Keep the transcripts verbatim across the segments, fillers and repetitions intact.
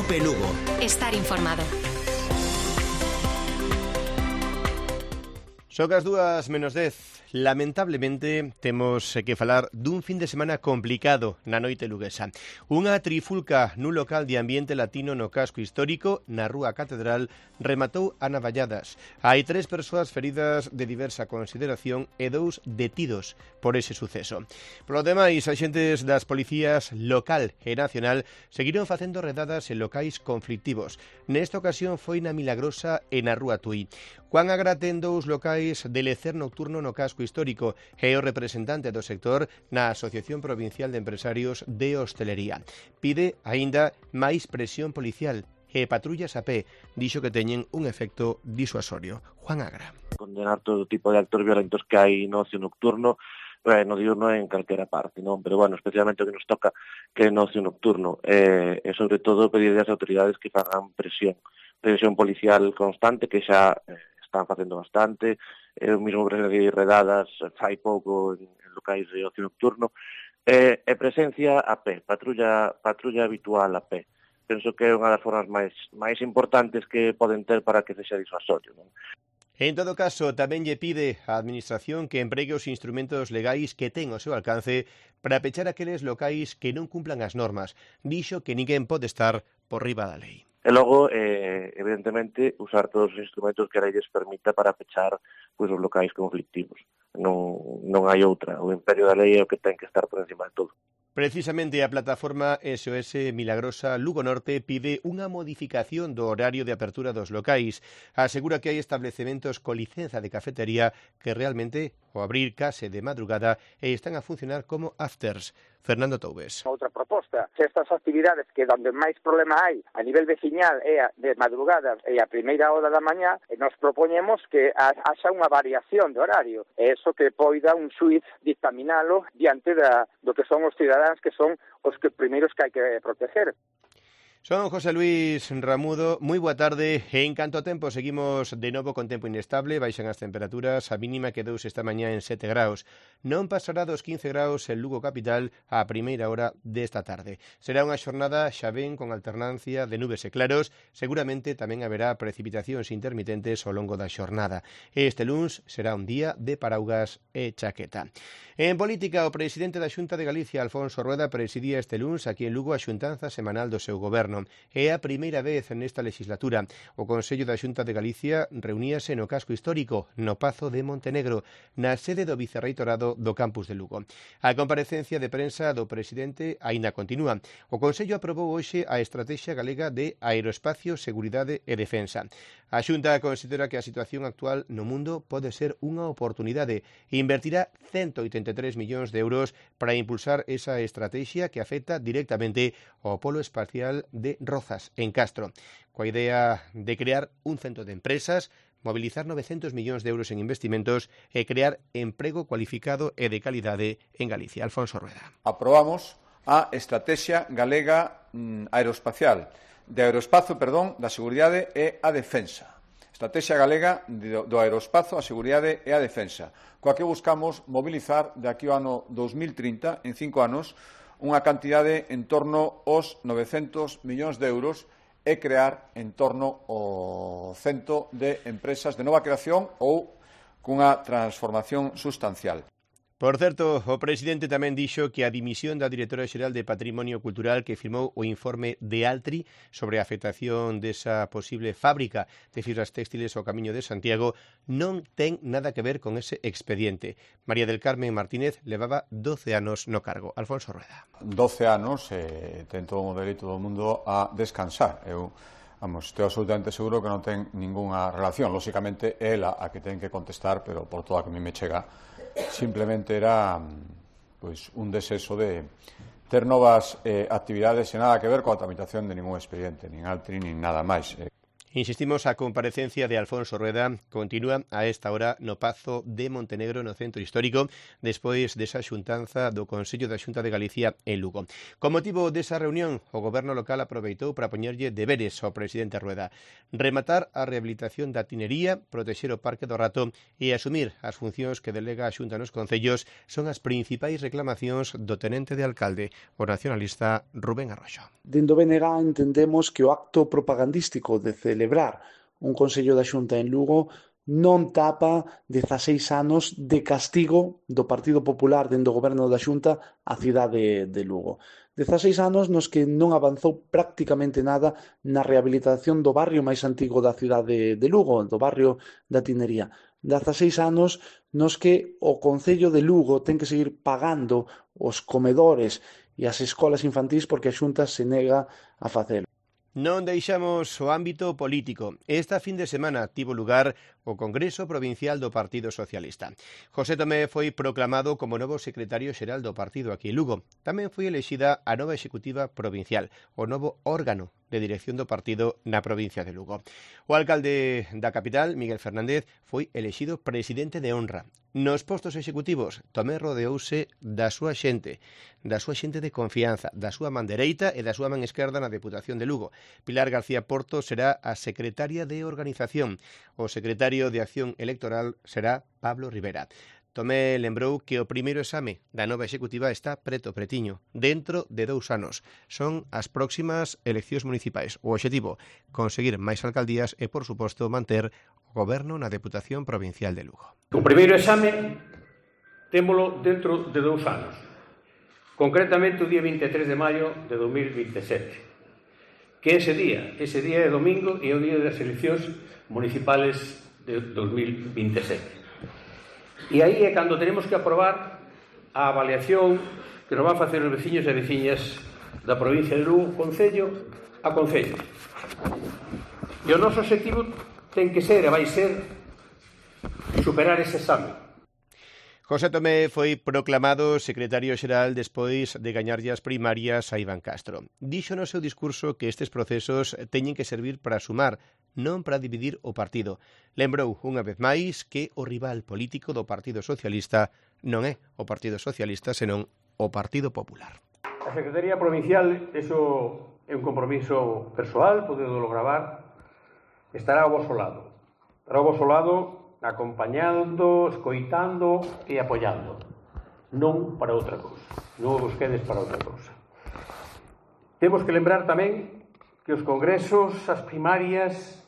Cope Lugo. Estar informado. Son as dúas menos dez. Lamentablemente, temos que falar dun fin de semana complicado na noite luguesa. Unha trifulca nun local de ambiente latino no casco histórico, na Rúa Catedral, rematou a navalladas. Hai tres persoas feridas de diversa consideración e dous detidos por ese suceso. Polo demais, axentes das policías local e nacional seguiron facendo redadas en locais conflictivos. Nesta ocasión foi na Milagrosa e na Rúa Tui. Juan Agra ten dous locais de lecer nocturno no casco histórico e o representante do sector na Asociación Provincial de Empresarios de Hostelería. Pide aínda máis presión policial e patrullas a pé, dixo que teñen un efecto disuasorio. Juan Agra. Condenar todo tipo de actos violentos que hai no ocio nocturno, eh, no diurno en calquera parte, non? Pero, bueno, especialmente o que nos toca que é no ocio nocturno, eh, e sobre todo pedir ás autoridades que fagan presión, presión policial constante, que xa eh, están facendo bastante, eu mesmo presenciei redadas fai pouco en, en locais de ocio nocturno, e, e presencia a pé, patrulla, patrulla habitual a pé. Penso que é unha das formas máis, máis importantes que poden ter para que sexa disuasorio, non? En todo caso, tamén lle pide á Administración que empregue os instrumentos legais que ten ao seu alcance para pechar aqueles locais que non cumplan as normas. Dixo que ninguén pode estar por riba da lei. E logo, eh, evidentemente, usar todos os instrumentos que a lei lles permita para pechar pois, os locais conflictivos. Non, non hai outra. O imperio da lei é o que ten que estar por encima de todo. Precisamente a plataforma S O S Milagrosa Lugo Norte pide unha modificación do horario de apertura dos locais. Asegura que hai establecementos con licenza de cafetería que realmente o abrir case de madrugada e están a funcionar como afters. Fernando Toubes. Outra proposta, se estas actividades que onde máis problema hai a nivel veciñal é a de madrugada e a primeira hora da mañá, nos propoñemos que haxa unha variación de horario, e eso que poida un xuiz dictaminalo diante da, do que son os cidadáns que son os que primeiros que hai que proteger. Son José Luis Ramudo, moi boa tarde. En canto a tempo, seguimos de novo con tempo inestable, baixan as temperaturas, a mínima quedouse esta mañá en sete graus. Non pasará dos quince graus en Lugo capital á primeira hora desta tarde. Será unha xornada xa ben con alternancia de nubes e claros, seguramente tamén haberá precipitacións intermitentes ao longo da xornada. Este luns será un día de paraugas e chaqueta. En política, o presidente da Xunta de Galicia, Alfonso Rueda, presidía este luns aquí en Lugo a xuntanza semanal do seu goberno. É a primeira vez nesta legislatura. O Consello da Xunta de Galicia reuníase no casco histórico, no Pazo de Montenegro, na sede do Vicerreitorado do campus de Lugo. A comparecencia de prensa do presidente aínda continúa. O Consello aprobou hoxe a Estrategia Galega de Aeroespacio, Seguridade e Defensa. A Xunta considera que a situación actual no mundo pode ser unha oportunidade e invertirá ciento oitenta e tres millóns de euros para impulsar esa estrategia que afecta directamente ao polo espacial de Rozas, en Castro, coa idea de crear un centro de empresas, mobilizar novecientos millóns de euros en investimentos e crear emprego cualificado e de calidade en Galicia. Alfonso Rueda. Aprobamos a Estrategia Galega mm, Aeroespacial, de aeroespazo, perdón, da seguridade e a defensa. Estrategia Galega do Aeroespazo, a seguridade e a defensa, coa que buscamos mobilizar de aquí ao ano dos mil trinta, en cinco anos, unha cantidade en torno aos novecentos millóns de euros e crear en torno ao cento de empresas de nova creación ou cunha transformación sustancial. Por certo, o presidente tamén dixo que a dimisión da directora xeral de Patrimonio Cultural que firmou o informe de Altri sobre a afectación desa posible fábrica de fibras textiles ao Camiño de Santiago non ten nada que ver con ese expediente. María del Carmen Martínez levaba doce anos no cargo. Alfonso Rueda. doce anos, eh, ten todo o dereito do mundo a descansar. Eu Vamos, estou absolutamente seguro que non ten ningunha relación. Lóxicamente, ela a que ten que contestar, pero por todo a que a mí me chega, simplemente era pois, un deseso de ter novas eh, actividades e nada que ver coa tramitación de ningún expediente, nin Altri, nin nada máis. Insistimos, a comparecencia de Alfonso Rueda continúa a esta hora no Pazo de Montenegro, no Centro Histórico, despois desa xuntanza do Consello da Xunta de Galicia en Lugo. Con motivo desa reunión, o Goberno local aproveitou para poñerlle deberes ao presidente Rueda: rematar a rehabilitación da tinería, protexer o Parque do Rato e asumir as funcións que delega a Xunta nos concellos son as principais reclamacións do tenente de alcalde, o nacionalista Rubén Arroxo. Dende o B N G entendemos que o acto propagandístico de celebrar un Consello da Xunta en Lugo non tapa dezaseis anos de castigo do Partido Popular dentro do goberno da Xunta á cidade de Lugo. dezaseis anos nos que non avanzou prácticamente nada na rehabilitación do barrio máis antigo da cidade de Lugo, do barrio da Tinería. dezaseis anos nos que o Concello de Lugo ten que seguir pagando os comedores e as escolas infantís porque a Xunta se nega a facelo. Non deixamos o ámbito político. Esta fin de semana tivo lugar o Congreso Provincial do Partido Socialista. José Tomé foi proclamado como novo secretario xeral do partido aquí en Lugo. Tamén foi elexida a nova executiva provincial, o novo órgano de dirección do partido na provincia de Lugo. O alcalde da capital, Miguel Fernández, foi elexido presidente de honra. Nos postos executivos, Tomé rodeouse da súa xente, da súa xente de confianza, da súa man dereita e da súa man esquerda na Deputación de Lugo. Pilar García Porto será a secretaria de organización. O secretario de Acción Electoral será Pablo Rivera. Tomé lembrou que o primeiro exame da nova executiva está preto pretiño, dentro de dous anos. Son as próximas eleccións municipais. O obxectivo, conseguir máis alcaldías e, por suposto, manter o goberno na Deputación Provincial de Lugo. O primeiro exame témolo dentro de dous anos, concretamente o día vinte e tres de maio de dos mil vinte e sete, que ese día, ese día é domingo e é o día das eleccións municipales de dos mil vinte e sete. E aí é cando tenemos que aprobar a avaliación que nos van facer os veciños e veciñas da provincia de Lugo, concello a concello. E o noso objetivo ten que ser e vai ser superar ese exame. José Tomé foi proclamado secretario xeral despois de gañarlle as primarias a Iván Castro. Dixo no seu discurso que estes procesos teñen que servir para sumar, non para dividir o partido. Lembrou unha vez máis que o rival político do Partido Socialista non é o Partido Socialista, senón o Partido Popular. A Secretaría Provincial, eso é un compromiso persoal, podedolo gravar, estará ao vosso lado. Estará ao vosso lado acompañando, escoitando e apoiando. Non para outra cousa. Non vos quedes para outra cousa. Temos que lembrar tamén que os congresos, as primarias,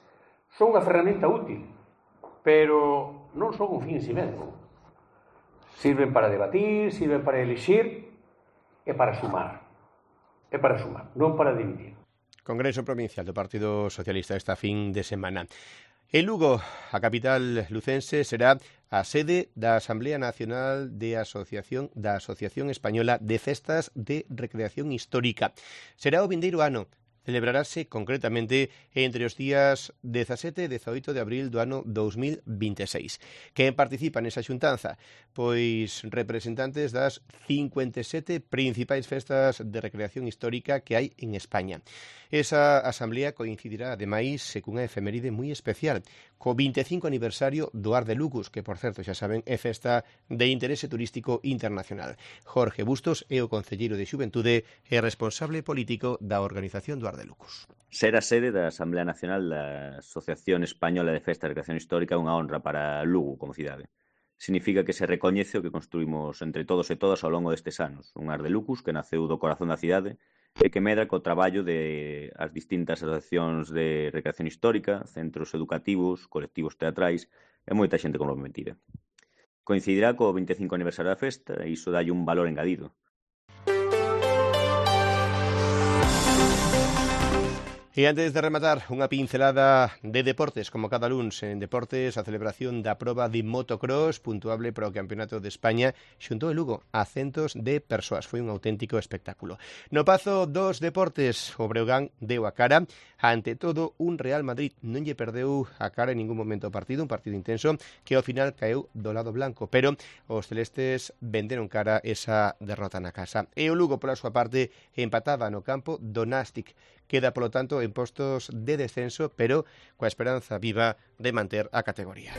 son unha ferramenta útil, pero non son un fin en si mesmo. Sirven para debatir, sirven para elixir e para sumar. É para sumar, non para dividir. Congreso Provincial do Partido Socialista esta fin de semana. En Lugo, a capital lucense, será a sede da Asamblea Nacional de Asociación da Asociación Española de Festas de Recreación Histórica. Será o vindeiro ano. Celebrarase concretamente entre os días dezasete e dezaoito de abril do ano dous mil vinte e seis. Quen participa nesa xuntanza? Pois representantes das cincuenta e sete principais festas de recreación histórica que hai en España. Esa asamblea coincidirá, ademais, cunha efeméride moi especial, co vinte e cinco aniversario do Ar de Lucus, que, por certo, xa saben, é festa de interese turístico internacional. Jorge Bustos é o concelleiro de Xuventude e responsable político da organización do Ar de Lucus. Ser a sede da Asamblea Nacional da Asociación Española de Festas de Recreación Histórica é unha honra para Lugo como cidade. Significa que se recoñece o que construímos entre todos e todas ao longo destes anos. Un Ar de Lucus que naceu do corazón da cidade e que medra co traballo de as distintas asociacións de recreación histórica, centros educativos, colectivos teatrais e moita xente comprometida. Coincidirá co vinte e cinco aniversario da festa e iso dalle un valor engadido. E antes de rematar, unha pincelada de deportes, como cada luns en Deportes, a celebración da proba de motocross puntuable para o Campeonato de España xuntou en Lugo a centos de persoas. Foi un auténtico espectáculo. No Pazo dos Deportes, o Breogán deu a cara Ante todo, un Real Madrid non lle perdeu a cara en ningún momento o partido, un partido intenso que ao final caeu do lado blanco, pero os celestes venderon cara esa derrota na casa. E o Lugo, pola súa parte, empataba no campo do Nástic. Queda, polo tanto, en postos de descenso, pero coa esperanza viva de manter a categoría.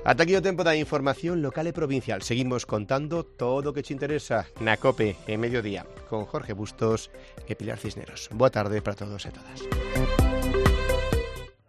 Ata aquí o tempo da información local e provincial. Seguimos contando todo o que te interesa na COPE en mediodía con Jorge Bustos e Pilar Cisneros. Boa tarde para todos e todas.